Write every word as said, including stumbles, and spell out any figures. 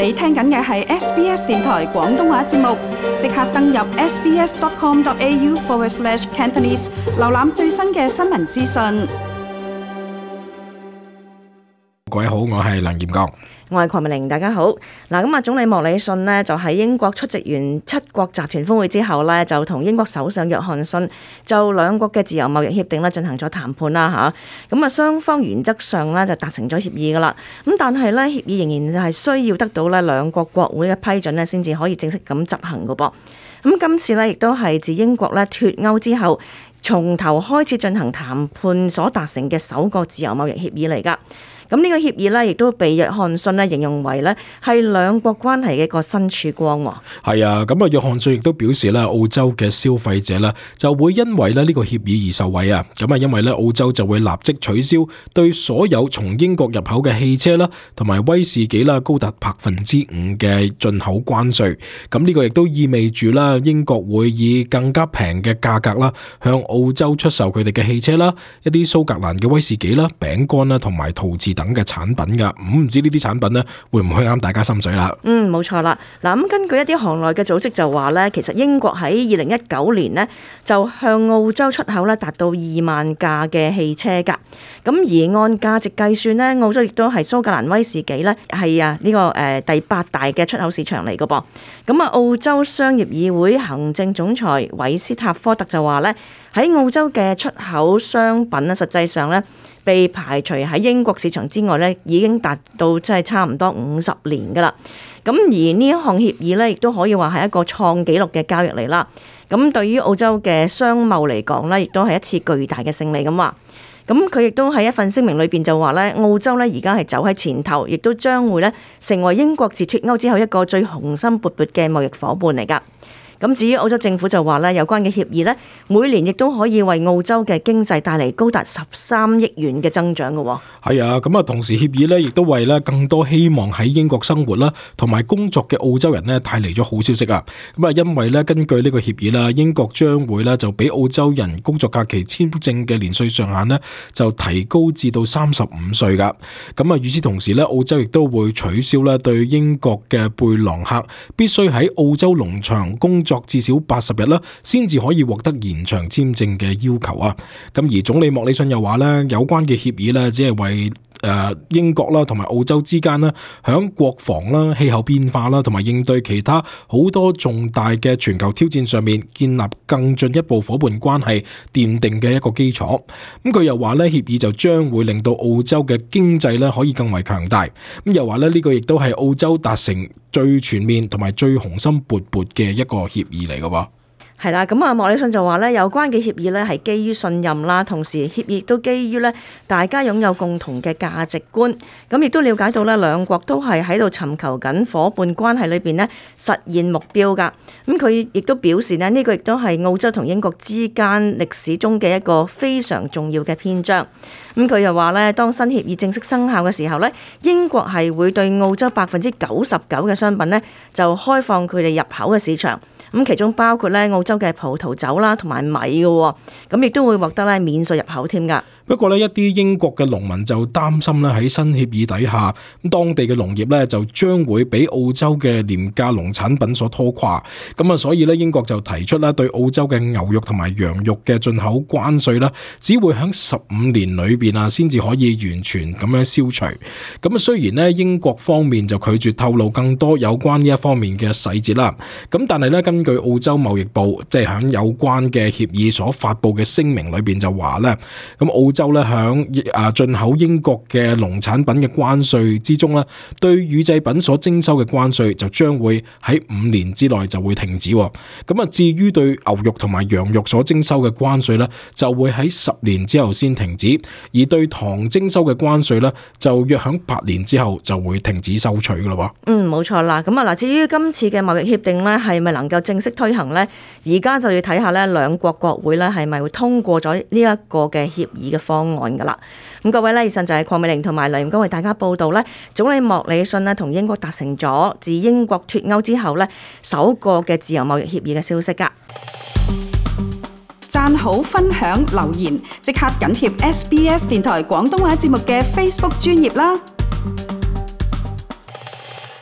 你聽緊嘅係 S B S 電台廣東話節目，即刻登入 sbs.com.au forward slash Cantonese， 瀏覽最新嘅新聞資訊。各位好，我係梁炎剛。我係鄺美玲，大家好。嗱，咁啊，總理莫里遜呢就喺英國出席完七國集團峰會之後呢，就同英國首相約翰遜就兩國嘅自由貿易協定呢進行咗談判啦嚇。咁啊，雙方原則上呢就達成咗協議噶啦。咁但係呢，協議仍然係需要得到呢兩國國會嘅批准呢先至可以正式咁執行噶噃。咁今次呢亦都係自英國呢脫歐之後，從頭開始進行談判所達成嘅首個自由貿易協議嚟噶。咁呢個協議呢，亦都被約翰遜呢形容為呢係兩國關係嘅一個新曙光。係啊，咁啊，約翰遜亦都表示咧，澳洲嘅消費者呢就會因為咧呢個協議而受惠啊。咁啊，因為咧澳洲就會立即取消對所有從英國入口嘅汽車啦，同埋威士忌啦，高達百分之五嘅進口關稅。咁呢個亦都意味住啦，英國會以更加平嘅價格啦，向澳洲出售佢哋嘅汽車啦，一啲蘇格蘭嘅威士忌啦、餅乾啦，同埋陶瓷等嘅產品噶。咁唔知呢啲產品呢會唔會啱大家心水啦？嗯，冇錯啦。嗱，咁根據一啲行內嘅組織就話呢，其實英國喺二零一九年呢就向澳洲出口呢達到二萬架嘅汽車噶。咁而按價值計算呢，澳洲亦都係蘇格蘭威士忌呢係啊呢個誒第八大嘅出口市場嚟噶噃。咁啊，澳洲商業議會行政總裁韋斯塔科特就話呢，喺澳洲嘅出口商品呢，實際上呢被排除喺英國市場之外呢，已經達到即係差唔多五十年噶啦。咁而呢一項協議呢，亦都可以話係一個創紀錄嘅交易嚟啦。咁對於澳洲嘅商貿嚟講呢，亦都係一次巨大嘅勝利咁話。咁佢亦都喺一份聲明裏邊就話呢，澳洲呢而家係走喺前頭，亦都將會呢成為英國自脫歐之後一個最雄心勃勃嘅貿易夥伴嚟噶。咁至於澳洲政府就話呢，有關嘅協議呢，每年亦都可以為澳洲嘅經濟帶嚟高達十三億元嘅增長嘅。係啊，咁啊，同時協議呢亦都為呢更多希望喺英國生活啦同埋工作嘅澳洲人呢帶嚟咗好消息啊！咁啊，因為呢根據呢個協議啦，英國將會呢就俾澳洲人工作假期簽證嘅年歲上限呢就提高至到三十五歲噶。咁啊，與此同時呢，澳洲亦都會取消呢對英國嘅貝朗客必須喺澳洲農場工作作至少八十日啦，先至可以獲得延長簽證嘅要求啊！咁而總理莫里遜又話咧，有關嘅協議咧，只係為誒英國啦同埋澳洲之間啦，響國防啦、氣候變化啦同埋應對其他好多重大嘅全球挑戰上面建立更進一步夥伴關係奠定嘅一個基礎。咁佢又話咧，協議就將會令到澳洲嘅經濟咧可以更為強大。咁又話咧，呢個亦都係澳洲達成最全面同埋最雄心勃勃嘅一個協議嚟嘅喎。係啦，咁啊，莫里遜就話咧，有關嘅協議咧係基於信任啦，同時協議亦都基於咧大家擁有共同嘅價值觀，咁亦都了解到咧兩國都係喺度尋求緊夥伴關係裏邊咧實現目標噶。咁佢亦都表示咧，呢個亦都係澳洲同英國之間歷史中嘅一個非常重要嘅篇章。咁佢又話咧，當新協議正式生效嘅時候咧，英國係會對澳洲百分之九十九嘅商品咧就開放佢哋入口嘅市場。咁其中包括咧澳洲嘅葡萄酒啦，同埋米嘅，咁亦都會獲得咧免稅入口添噶。不過咧，一啲英國嘅農民就擔心咧喺新協議底下，咁當地嘅農業咧就將會俾澳洲嘅廉價農產品所拖垮。咁啊，所以咧英國就提出啦，對澳洲嘅牛肉同埋羊肉嘅進口關稅啦，只會喺十五年裏邊啊，先至可以完全咁樣消除。咁啊，雖然咧英國方面就拒絕透露更多有關呢一方面嘅細節啦，咁但係咧根據澳洲貿易部即係喺有關嘅協議所發布嘅聲明裏邊就話咧，咁澳洲咧響啊進口英國嘅農產品嘅關稅之中咧，對乳製品所徵收嘅關稅就將會喺五年之內就會停止。咁啊，至於對牛肉同埋羊肉所徵收嘅關稅咧，就會喺十年之後先停止，而對糖徵收嘅關稅咧，就約響八年之後就會停止收取噶啦。嗯，冇錯啦。咁啊嗱，至於今次嘅貿易協定咧，係咪能夠正式推行呢？而家就要睇下咧兩國國會咧係咪會通過咗呢一個嘅協議嘅方案噶啦。咁各位咧，以上就係鄺美玲同埋梁炎剛為大家報道咧，總理莫里遜咧同英國達成咗自英國脫歐之後咧首個嘅自由貿易協議嘅消息噶。讚好、分享、留言，即刻緊貼 S B S 電台廣東話節目嘅 Facebook 專頁啦。